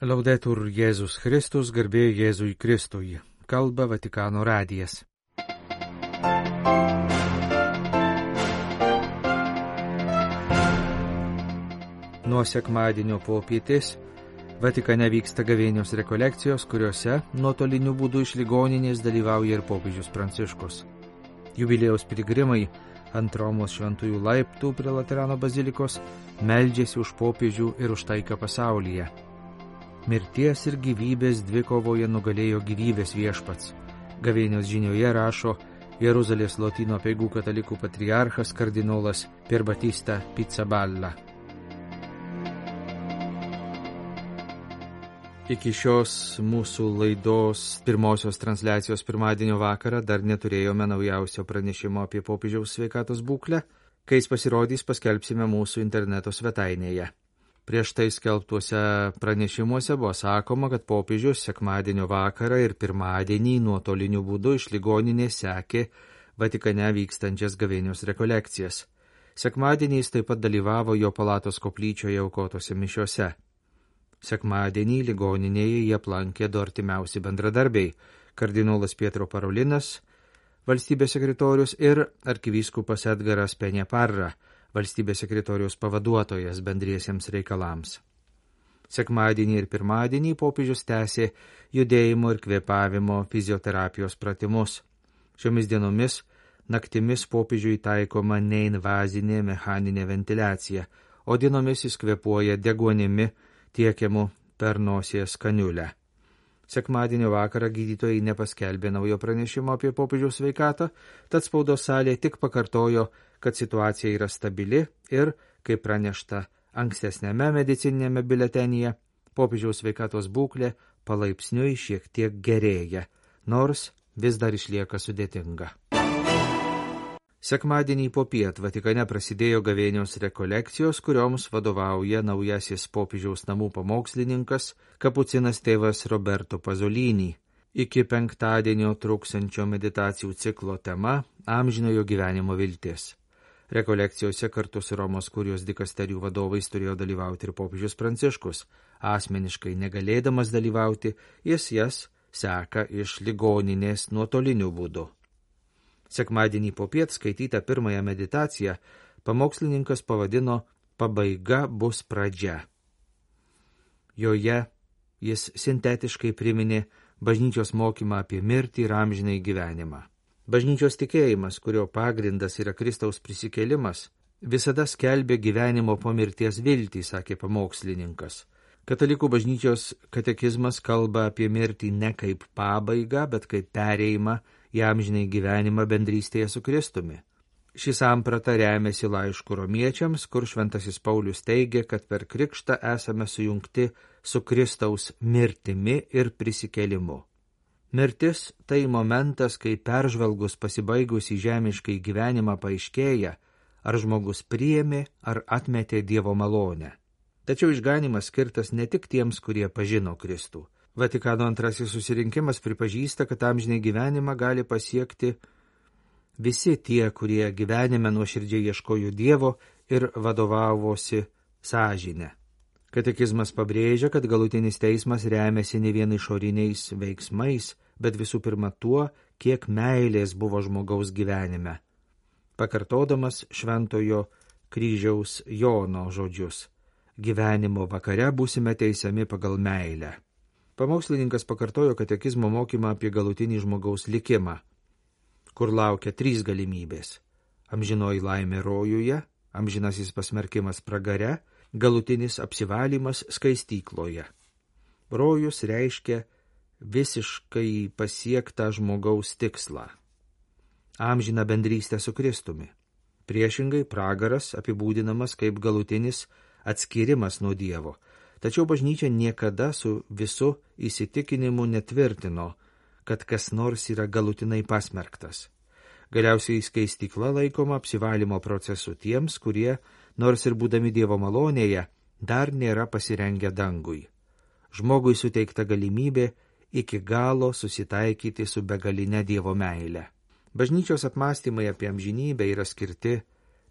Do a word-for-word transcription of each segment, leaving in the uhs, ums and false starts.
Laudetur Jėzus Kristus, garbė Jėzui Kristui. Kalba Vatikano radijas. Nuo sekmadienio popietės Vatikane vyksta gavėnios rekolekcijos, kuriuose nuotoliniu būdu iš ligoninės dalyvauja ir popiežius Pranciškus. Jubiliejaus piligrimai ant Romos šventųjų laiptų prie Laterano bazilikos meldžiasi už popiežių ir už taiką pasaulyje. Mirties ir gyvybės dvikovoje nugalėjo gyvybės viešpats. Gavėnios žinioje rašo Jeruzalės Lotynų apeigų katalikų patriarchas kardinolas Pier Battista Pizzaballa. Iki šios mūsų laidos pirmosios transliacijos pirmadienio vakarą dar neturėjome naujausio pranešimo apie popiežiaus sveikatos būklę. Kai jis pasirodys, paskelbsime mūsų interneto svetainėje. Prieš tai skelbtuose pranešimuose buvo sakoma, kad popiežius sekmadienio vakarą ir pirmadienį nuotoliniu būdu iš ligoninės sekė Vatikane vykstančias gavėnios rekolekcijas. Sekmadienį jis taip pat dalyvavo jo palatos koplyčioje aukotose mišiose. Sekmadienį ligoninėje jie aplankė du artimiausi bendradarbiai – kardinolas Pietro Parolinas, valstybės sekretorius ir arkivyskupas Edgaras Penėparra, valstybės sekretoriaus pavaduotojas bendriesiems reikalams. Sekmadienį ir pirmadienį popiežius tęsė judėjimo ir kvėpavimo fizioterapijos pratimus. Šiomis dienomis naktimis popiežiui taikoma neinvazinė mechaninė ventiliacija, o dienomis jis kvėpuoja deguonimi tiekiamu per nosies kaniulę. Sekmadienio vakarą gydytojai nepaskelbė naujo pranešimo apie popiežiaus sveikatą, tad spaudos salė tik pakartojo, kad situacija yra stabili ir, kaip pranešta ankstesnėme medicininėme biuletenyje, popiežiaus sveikatos būklė palaipsniui šiek tiek gerėja, nors vis dar išlieka sudėtinga. Sekmadienį popiet Vatikane prasidėjo gavėnios rekolekcijos, kurioms vadovauja naujasis popiežiaus namų pamokslininkas kapucinas tėvas Roberto Pasolini. Iki penktadienio truksiančio meditacijų ciklo tema amžinojo gyvenimo viltis. Rekolekcijose kartu su Romos kurijos dikasterijų vadovais turėjo dalyvauti ir popiežius Pranciškus. Asmeniškai negalėdamas dalyvauti, jis jas seka iš ligoninės nuotoliniu būdu. Sekmadienį popiet skaitytą pirmąją meditaciją pamokslininkas pavadino Pabaiga bus pradžia. Joje jis sintetiškai priminė bažnyčios mokymą apie mirtį ir amžinai gyvenimą. Bažnyčios tikėjimas, kurio pagrindas yra Kristaus prisikėlimas, visada skelbė gyvenimo po mirties viltį, sakė pamokslininkas. Katalikų bažnyčios katekizmas kalba apie mirtį ne kaip pabaigą, bet kaip perėjimą į amžinai gyvenimą bendrystėje su Kristumi. Ši samprata remiasi laišku romiečiams, kur šventasis Paulius teigia, kad per krikštą esame sujungti su Kristaus mirtimi ir prisikėlimu. Mirtis tai momentas, kai peržvelgus pasibaigus į žemiškai gyvenimą paaiškėja, ar žmogus priėmė ar atmetė Dievo malonę. Tačiau išganimas skirtas ne tik tiems, kurie pažino Kristų. Vatikano antrasis susirinkimas pripažįsta, kad amžinai gyvenimą gali pasiekti visi tie, kurie gyvenime nuoširdžiai ieškojo Dievo ir vadovavosi sąžine. Katekizmas pabrėžia, kad galutinis teismas remiasi ne vien išoriniais veiksmais, bet visų pirma tuo, kiek meilės buvo žmogaus gyvenime. Pakartodamas šventojo kryžiaus Jono žodžius: gyvenimo vakare būsime teisiami pagal meilę. Pamokslininkas pakartojo katekizmo mokymą apie galutinį žmogaus likimą, kur laukia trys galimybės: amžinoji laimė rojuje, amžinasis pasmerkimas pragare, galutinis apsivalymas skaistykloje. Rojus reiškia visiškai pasiektą žmogaus tikslą – amžiną bendrystę su Kristumi. Priešingai, pragaras apibūdinamas kaip galutinis atskirimas nuo Dievo. Tačiau bažnyčia niekada su visu įsitikinimu netvirtino, kad kas nors yra galutinai pasmerktas. Galiausiai skaistykla laikoma apsivalymo procesu tiems, kurie, nors ir būdami Dievo malonėje, dar nėra pasirengę dangui. Žmogui suteikta galimybė iki galo susitaikyti su begaline Dievo meile. Bažnyčios apmąstymai apie amžinybę yra skirti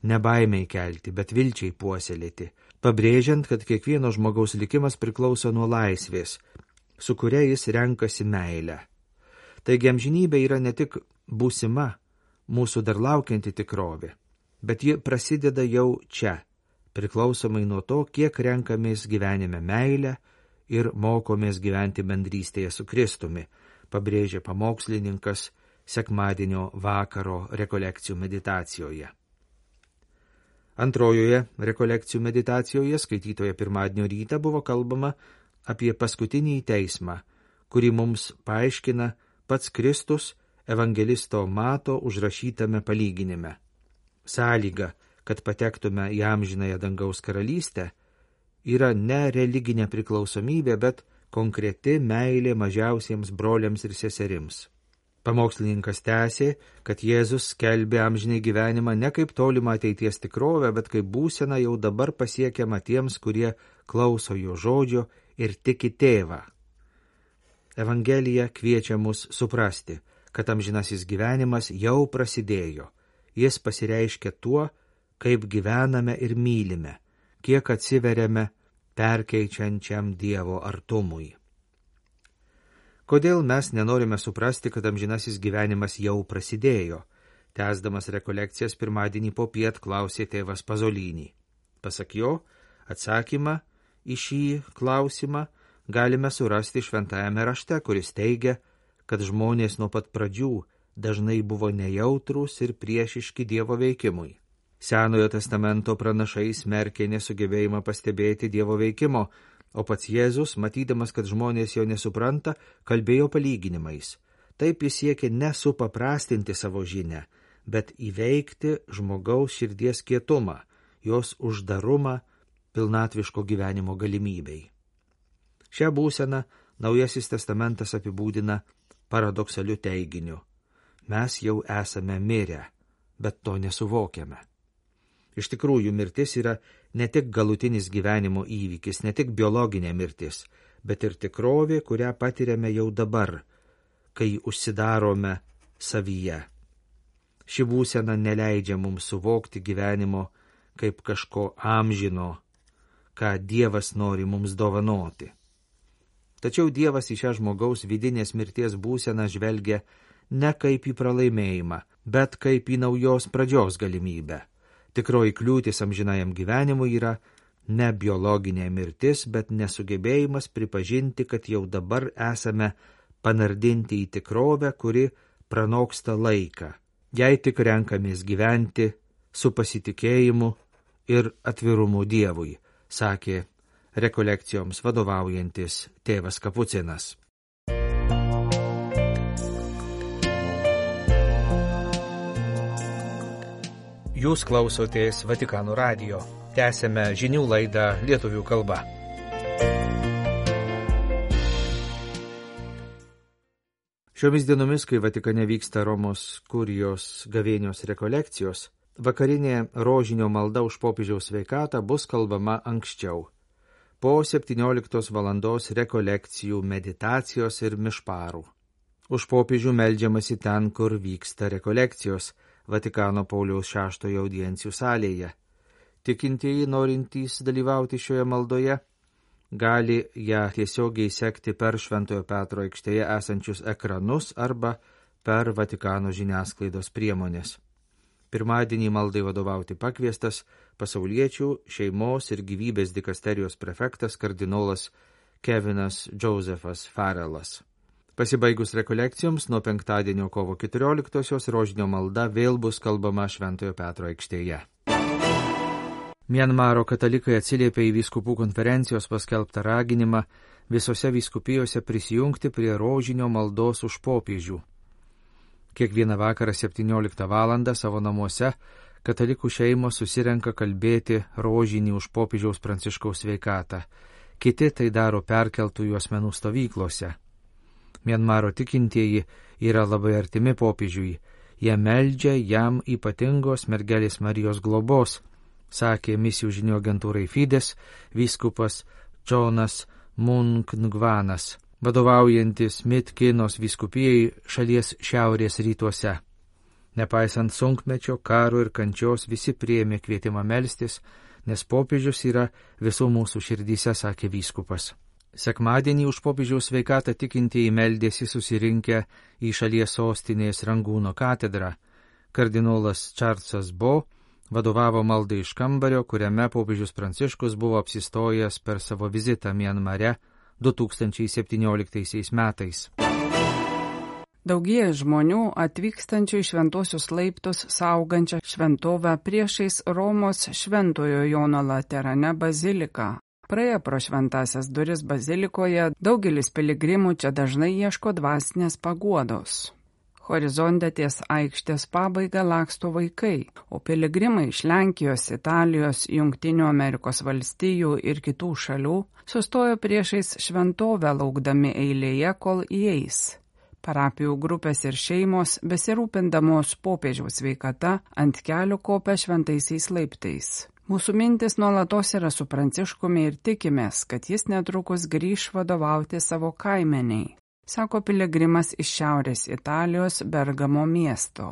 ne baimei kelti, bet vilčiai puoselėti, pabrėžiant, kad kiekvieno žmogaus likimas priklauso nuo laisvės, su kuria jis renkasi meilę. Taigi amžinybė yra ne tik būsima, mūsų dar laukianti tikrovė, bet ji prasideda jau čia, priklausomai nuo to, kiek renkamės gyvenime meilę ir mokomės gyventi bendrystėje su Kristumi, pabrėžia pamokslininkas sekmadienio vakaro rekolekcijų meditacijoje. Antrojoje rekolekcijų meditacijoje, skaitytoje pirmadienio rytą, buvo kalbama apie paskutinį teismą, kurį mums paaiškina pats Kristus evangelisto Mato užrašytame palyginime. Sąlyga, kad patektume į amžinąją dangaus karalystę, yra ne religinė priklausomybė, bet konkreti meilė mažiausiems broliams ir seserims. Pamokslininkas tęsė, kad Jėzus skelbė amžinai gyvenimą ne kaip tolimą ateities tikrovę, bet kaip būseną jau dabar pasiekiamą tiems, kurie klauso jo žodžio ir tiki tėvą. Evangelija kviečia mus suprasti, kad amžinasis gyvenimas jau prasidėjo. Jis pasireiškia tuo, kaip gyvename ir mylime, kiek atsiveriame perkeičiančiam Dievo artumui. Kodėl mes nenorime suprasti, kad amžinasis gyvenimas jau prasidėjo? Tęsdamas rekolekcijas pirmadienį popiet klausė tėvas Pazolinį. Pasak jo, atsakymą į šį klausimą galime surasti šventajame rašte, kuris teigia, kad žmonės nuo pat pradžių dažnai buvo nejautrūs ir priešiški Dievo veikimui. Senojo testamento pranašai smerkė nesugebėjimą pastebėti Dievo veikimo, o pats Jėzus, matydamas, kad žmonės jo nesupranta, kalbėjo palyginimais. Taip jis siekė nesupaprastinti savo žinią, bet įveikti žmogaus širdies kietumą, jos uždarumą pilnatviško gyvenimo galimybei. Šią būseną Naujasis testamentas apibūdina paradoksaliu teiginiu. Mes jau esame mirę, bet to nesuvokiame. Iš tikrųjų, mirtis yra ne tik galutinis gyvenimo įvykis, ne tik biologinė mirtis, bet ir tikrovė, kurią patiriame jau dabar, kai užsidarome savyje. Ši būsena neleidžia mums suvokti gyvenimo kaip kažko amžino, ką Dievas nori mums dovanoti. Tačiau Dievas į šią žmogaus vidinės mirties būseną žvelgia ne kaip į pralaimėjimą, bet kaip į naujos pradžios galimybę. Tikroji kliūtis amžinajam gyvenimui yra ne biologinė mirtis, bet nesugebėjimas pripažinti, kad jau dabar esame panardinti į tikrovę, kuri pranoksta laiką, jei tik renkamės gyventi su pasitikėjimu ir atvirumu Dievui, sakė rekolekcijoms vadovaujantis tėvas Kapucinas. Jūs klausotės Vatikano radijo. Tęsėme žinių laidą lietuvių kalba. Šiomis dienomis, kai Vatikane vyksta Romos kurijos gavėnios rekolekcijos, vakarinė rožinio malda už popiežiaus sveikatą bus kalbama anksčiau, po septynioliktos valandos rekolekcijų, meditacijos ir mišparų. Už popiežių meldžiamasi ten, kur vyksta rekolekcijos, Vatikano Pauliaus šeštojo audiencijų salėje. Tikintieji, norintys dalyvauti šioje maldoje, gali ją tiesiogiai sekti per Šventojo Petro aikštėje esančius ekranus arba per Vatikano žiniasklaidos priemonės. Pirmadienį maldai vadovauti pakviestas pasauliečių šeimos ir gyvybės dikasterijos prefektas kardinolas Kevinas Džozefas Farelas. Pasibaigus rekolekcijoms nuo penktadienio kovo keturioliktosios rožinio malda vėl bus kalbama Šventojo Petro aikštėje. Mianmaro katalikai atsiliepė į vyskupų konferencijos paskelbtą raginimą visose vyskupijose prisijungti prie rožinio maldos už popiežių. Kiekvieną vakarą septynioliktą valandą savo namuose katalikų šeimos susirenka kalbėti rožinį už popiežiaus Pranciškaus sveikatą. Kiti tai daro perkeltųjų asmenų stovyklose. Mianmaro tikintieji yra labai artimi popiežiui. Jie meldžia jam ypatingos mergelės Marijos globos, sakė misijų žinių agentūrai Fides vyskupas Džonas Munkngvanas, vadovaujantis Mitkinos vyskupijai šalies šiaurės rytuose. Nepaisant sunkmečio, karo ir kančios, visi priėmė kvietimą melstis, nes popiežius yra visų mūsų širdyse, sakė vyskupas. Sekmadienį už popiežiaus sveikatą tikintieji meldėsi susirinkę į šalies sostinės Rangūno katedrą. Kardinolas Čarlzas Bo vadovavo maldai iš kambario, kuriame popiežius Pranciškus buvo apsistojęs per savo vizitą Mianmare du tūkstančiai septynioliktaisiais metais. Daugėja žmonių atvykstančių į šventosius laiptus saugančią šventovę priešais Romos Šventojo Jono Laterane baziliką. Praėję pro šventasias duris bazilikoje, daugelis piligrimų čia dažnai ieško dvasinės paguodos. Horizonte ties aikštės pabaiga laksto vaikai, o piligrimai iš Lenkijos, Italijos, Jungtinių Amerikos valstijų ir kitų šalių sustojo priešais šventovę laukdami eilėje, kol įeis. Parapijų grupės ir šeimos, besirūpindamos popiežiaus sveikata, ant kelių kopia šventaisiais laiptais. Mūsų mintis nuolatos yra su Pranciškumi ir tikimės, kad jis netrukus grįš vadovauti savo kaimeniai, sako piligrimas iš šiaurės Italijos Bergamo miesto.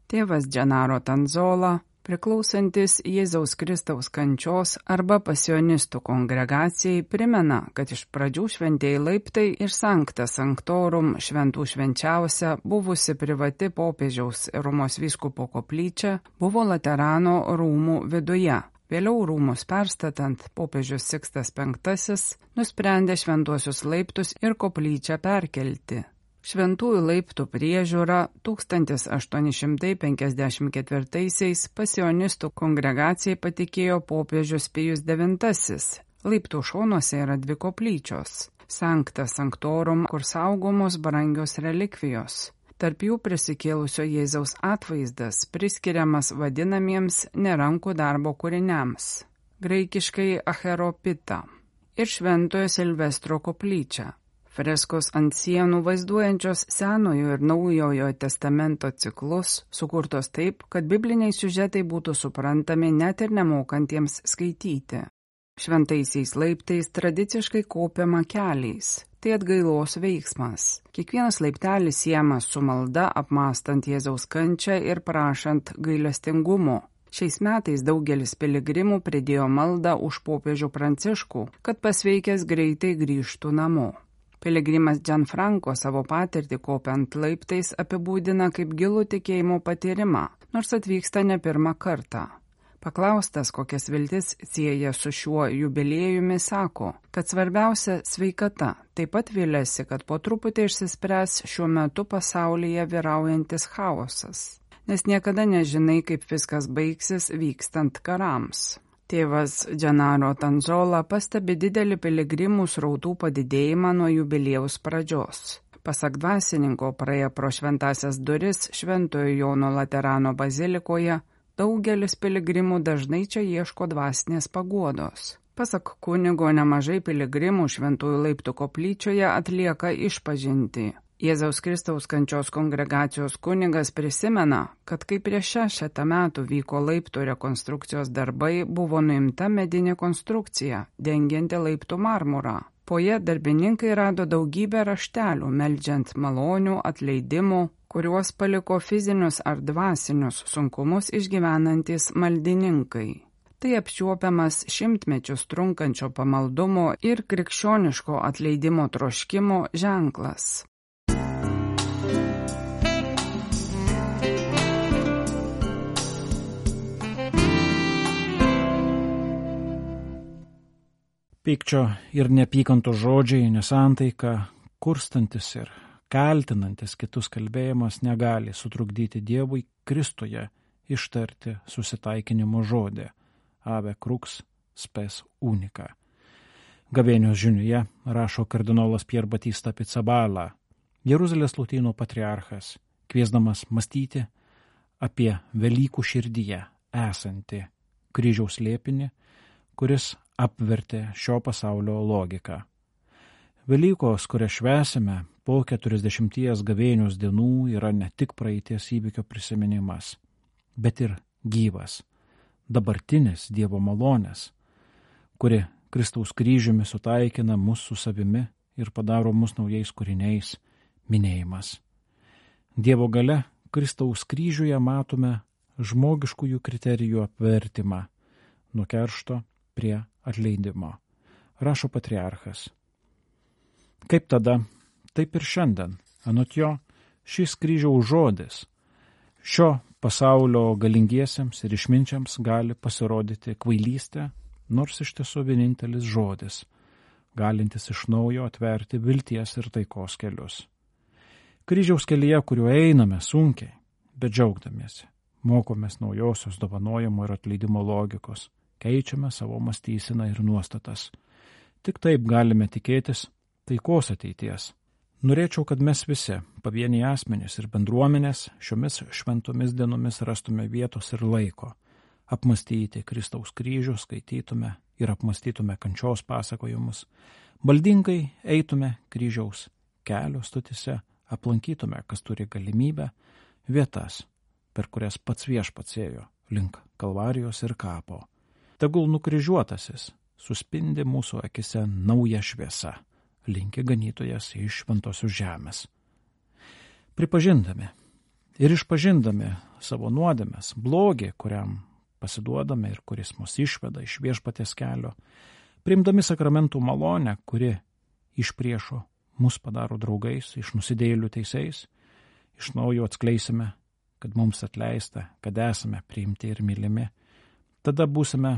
Tėvas Gennaro Tanzola, priklausantis Jėzaus Kristaus kančios arba pasionistų kongregacijai, primena, kad iš pradžių šventieji laiptai ir Sancta Sanctorum šventų švenčiausia buvusi privati popiežiaus Romos vyskupo koplyčia buvo Laterano rūmų viduje. Vėliau rūmus perstatant, popiežius Sikstas penktasis nusprendė šventuosius laiptus ir koplyčią perkelti. Šventųjų laiptų priežiūra tūkstantis aštuoni šimtai penkiasdešimt ketvirtaisiais pasionistų kongregacijai patikėjo popiežius Pijus devintasis. Laiptų šonuose yra dvi koplyčios – Sancta Sanctorum, kur saugomos brangios relikvijos. Tarp jų prisikėlusio Jėzaus atvaizdas priskiriamas vadinamiems nerankų darbo kūriniams, graikiškai acheropita, ir Šventojo Silvestro koplyčia. Freskos ant sienų vaizduojančios Senojo ir Naujojo testamento ciklus, sukurtos taip, kad bibliniai siužetai būtų suprantami net ir nemokantiems skaityti. Šventaisiais laiptais tradiciškai kopiama keliais. Tai atgailos veiksmas. Kiekvienas laiptelis siejamas su malda apmąstant Jėzaus kančią ir prašant gailestingumo. Šiais metais daugelis piligrimų pridėjo maldą už popiežių Pranciškų, kad pasveikęs greitai grįžtų namo. Piligrimas Gianfranco savo patirtį kopiant laiptais apibūdina kaip gilų tikėjimo patyrimą, nors atvyksta ne pirmą kartą. Paklaustas, kokias viltis sieja su šiuo jubiliejumi, sako, kad svarbiausia sveikata. Taip pat viliasi, kad po truputį išsispręs šiuo metu pasaulyje vyraujantis chaosas, nes niekada nežinai, kaip viskas baigsis vykstant karams. Tėvas Gennaro Tanzola pastebi didelį piligrimų srautų padidėjimą nuo jubiliejaus pradžios. Pasak dvasininko, praėję pro šventasias duris Šventojo Jono Laterano bazilikoje, daugelis piligrimų dažnai čia ieško dvasinės paguodos. Pasak kunigo, nemažai piligrimų Šventųjų laiptų koplyčioje atlieka išpažintį. Jėzaus Kristaus kančios kongregacijos kunigas prisimena, kad kai prieš šešetą metų vyko laiptų rekonstrukcijos darbai, buvo nuimta medinė konstrukcija, dengianti laiptų marmurą. Po ja darbininkai rado daugybę raštelių, meldžiant malonių, atleidimų, kuriuos paliko fizinius ar dvasinius sunkumus išgyvenantys maldininkai. Tai apčiuopiamas šimtmečius trunkančio pamaldumo ir krikščioniško atleidimo troškimo ženklas. Pykčio ir neapykantos žodžiai, nesantaika, kurstantis ir kaltinantis kitus kalbėjimas negali sutrukdyti Dievui Kristuje ištarti susitaikinimo žodį Ave Crux Spes Unica. Gavėnios žiniuje rašo kardinolas Pier Batista Pizzaballa, Jeruzalės Lotynų patriarchas, kviesdamas mąstyti apie Velykų širdyje esantį kryžiaus slėpinį, kuris apvertė šio pasaulio logiką. Velykos, kurią švęsime po keturiasdešimties gavėnios dienų, yra ne tik praeities įvykio prisiminimas, bet ir gyvas, dabartinis Dievo malonės, kuri Kristaus kryžiumi sutaikina mus su savimi ir padaro mus naujais kūriniais, minėjimas. Dievo gale Kristaus kryžiuje matome žmogiškųjų kriterijų apvertimą, nuo keršto prie atleidimo, rašo patriarchas. Kaip tada, taip ir šiandien, anot jo, šis kryžiaus žodis šio pasaulio galingiesiems ir išminčiams gali pasirodyti kvailystė, nors iš tiesų vienintelis žodis, galintis iš naujo atverti vilties ir taikos kelius. Kryžiaus kelyje, kuriuo einame sunkiai, bet džiaugdamiesi, mokomės naujosios dovanojimo ir atleidimo logikos, keičiame savo mąstyseną ir nuostatas. Tik taip galime tikėtis taikos ateities. Norėčiau, kad mes visi, pavieniai asmenys ir bendruomenės, šiomis šventomis dienomis rastume vietos ir laiko, apmastyti Kristaus kryžių, skaitytume ir apmastytume kančios pasakojimus, maldingai eitume kryžiaus kelio stotise, aplankytume, kas turi galimybę, vietas, per kurias pats viešpats ėjo link Kalvarijos ir kapo. Tegul nukryžiuotasis suspindi mūsų akise nauja šviesa, linki ganytojas iš šventosios žemės. Pripažindami ir išpažindami savo nuodėmes, blogį, kuriam pasiduodame ir kuris mus išveda iš viešpaties kelio, priimdami sakramentų malonę, kuri iš priešo mus padaro draugais, iš nusidėjėlių teisėjais, iš naujo atskleisime, kad mums atleista, kad esame priimti ir mylimi, tada būsime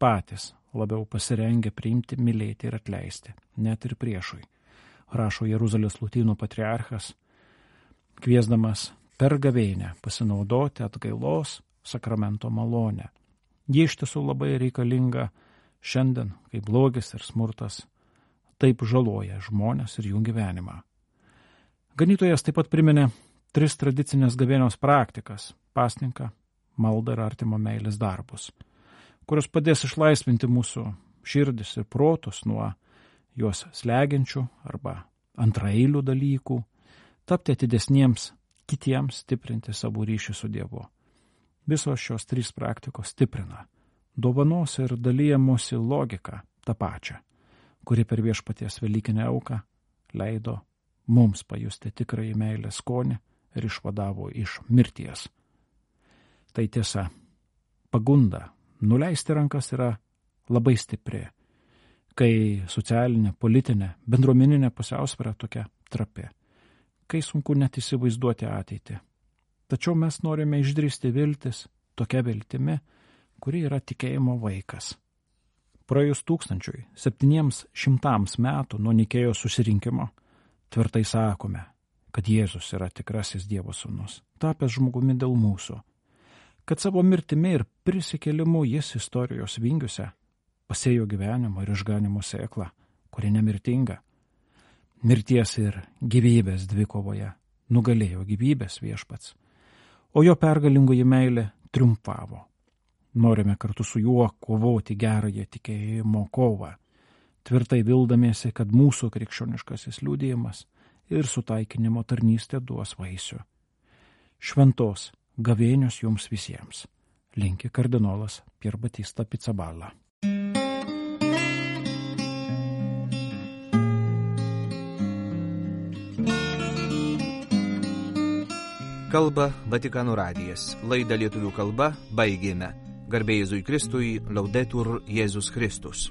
patys labiau pasirengę priimti, mylėti ir atleisti, net ir priešui, rašo Jeruzalės lotynų patriarchas, kviesdamas per gavėnią pasinaudoti atgailos sakramento malonę. Ji iš tiesų labai reikalinga šiandien, kai blogis ir smurtas taip žaloja žmonės ir jų gyvenimą. Ganytojas taip pat priminė tris tradicinės gavėnios praktikas – pasninką, maldą ir artimo meilės darbus, kurios padės išlaisvinti mūsų širdis ir protus nuo juos slegiančių arba antraeilių dalykų, tapti atidesniems kitiems, stiprinti savo ryšį su Dievu. Visos šios trys praktikos stiprina dovanos ir dalyjamosi logiką tą pačią, kuri per viešpaties velykinę auką leido mums pajusti tikrąjį meilės skonį ir išvadavo iš mirties. Tai tiesa, pagunda nuleisti rankas yra labai stipri, kai socialinė, politinė, bendruomeninė pusiausvyra tokia trapi, kai sunku net įsivaizduoti ateitį. Tačiau mes norime išdrįsti viltis tokia viltimi, kuri yra tikėjimo vaikas. Praėjus tūkstančiui septyniems šimtams metų nuo Nikėjos susirinkimo, tvirtai sakome, kad Jėzus yra tikrasis Dievo sūnus, tapęs žmogumi dėl mūsų, kad savo mirtimi ir prisikėlimu jis istorijos vingiuose pasėjo gyvenimo ir išganimo sėklą, kuri nemirtinga. Mirties ir gyvybės dvikovoje nugalėjo gyvybės viešpats, o jo pergalingoji meilė triumfavo. Norime kartu su juo kovoti gerąją tikėjimo kovą, tvirtai vildamiesi, kad mūsų krikščioniškasis liudijimas ir sutaikinimo tarnystė duos vaisių. Šventos gavėnios jums visiems, linki kardinolas Pier Battista Pizzaballa. Kalba Vatikano radijas. Laidą lietuvių kalba baigėme. Garbė Jėzui Kristui, Laudetur Jėzus Kristus.